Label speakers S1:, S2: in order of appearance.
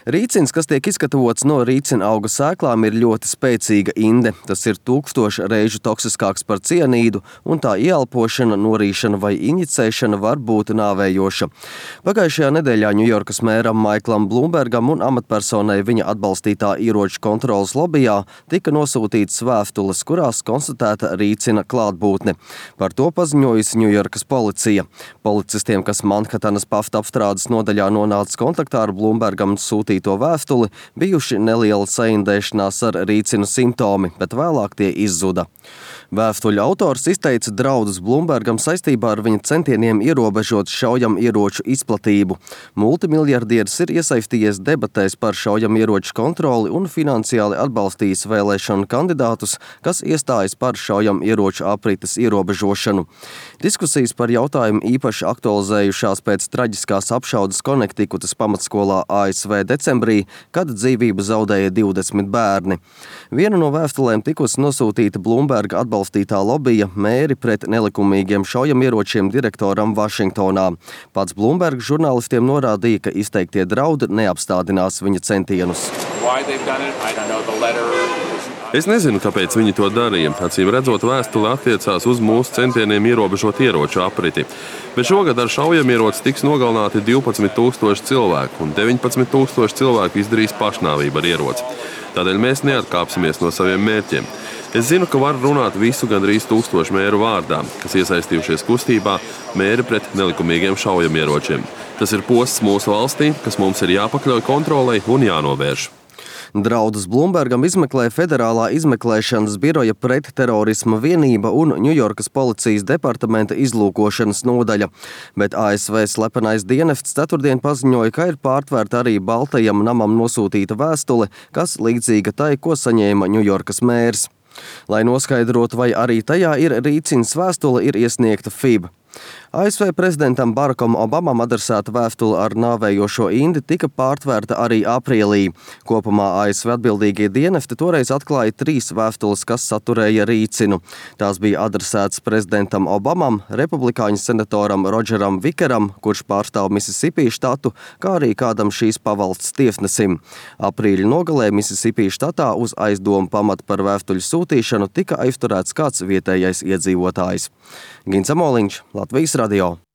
S1: Rīcins, kas tiek izgatavots no rīcina auga sēklām, ir ļoti spēcīga inde. Tas ir 1000 reižu toksiskāks par cianīdu, un tā ieelpošana, norīšana vai injicēšana var būt nāvējoša. Pagājušajā nedēļā Ņujorkas mēram Maiklam Blūmbergam un amatpersonai viņa atbalstītā ieroču kontroles lobijā tika nosūtītas vēstules, kurās konstatēta rīcina klātbūtne. Par to paziņojusi Ņujorkas policija. Policistiem, kas Manhatanas pafta apstrādes nodaļā nonāca kontaktā ar Blūmbergam sūtīto vēstuli, bijuši neliela saindēšanās ar rīcinu simptomi, bet vēlāk tie izzuda. Vēstuļu autors izteica draudus Blūmbergam saistībā ar viņa centieniem ierobežot šaujamieroču izplatību. Multimiljardieris ir iesaistījies debatēs par šaujamieroču kontroli un finansiāli atbalstījis vēlēšanu kandidātus, kas iestājas par šaujamieroču aprites ierobežošanu. Diskusijas par jautājumu īpaši aktualizējušās pēc traģiskās apšaudes Konektikutas pamatskolā ASV decembrī, kad dzīvību zaudēja 20 bērni. Viena no vēstulēm tikusi nosūtīta Blūmberga atbalstītā lobija mēri pret nelikumīgiem šaujamieročiem direktoram Vašingtonā. Pats Blūmbergs žurnālistiem norādīja, ka izteiktie draudi neapstādinās viņa centienus.
S2: Es nezinu, kāpēc viņi to darīja. Acīm redzot, vēstule attiecās uz mūsu centieniem ierobežot ieroču apriti. Bet šogad ar šaujamieroci tiks nogalināti 12,000 cilvēku, un 19,000 cilvēku izdarīs pašnāvību ar ieroci. Tādēļ mēs neatkāpsimies no saviem mērķiem. Es zinu, ka var runāt visu gandrīz 1000 mēru vārdā, kas iesaistījušies kustībā mēri pret nelikumīgiem šaujamieročiem. Tas ir posts mūsu valstī, kas mums ir jāpakļauj kontrolei un jānovērš.
S1: Draudus Blūmbergam izmeklē Federālā izmeklēšanas biroja pretterorisma vienība un Ņujorkas policijas departamenta izlūkošanas nodaļa, bet ASV slepenais dienests ceturtdien paziņoja, ka ir pārtvērta arī Baltajam namam nosūtīta vēstule, kas līdzīga tai, ko saņēma Ņujorkas mērs. Lai noskaidrotu, vai arī tajā ir rīcins vēstule, ir iesniegta FIB. ASV prezidentam Barackam Obamam adresēta vēstule ar nāvējošo indi tika pārtvērta arī aprīlī. Kopumā ASV atbildīgie dienesti toreiz atklāja 3 vēstules, kas saturēja rīcinu. Tās bija adresētas prezidentam Obamam, republikāņu senatoram Rodžeram Vikeram, kurš pārstāv Misisipī štatu, kā arī kādam šīs pavalsts tiesnesim. Aprīļa nogalē Misisipī štatā uz aizdomu pamatu par vēstuļu sūtīšanu tika aizturēts kāds vietējais iedzīvotājs. Gins Amoliņš, Latvijas radio.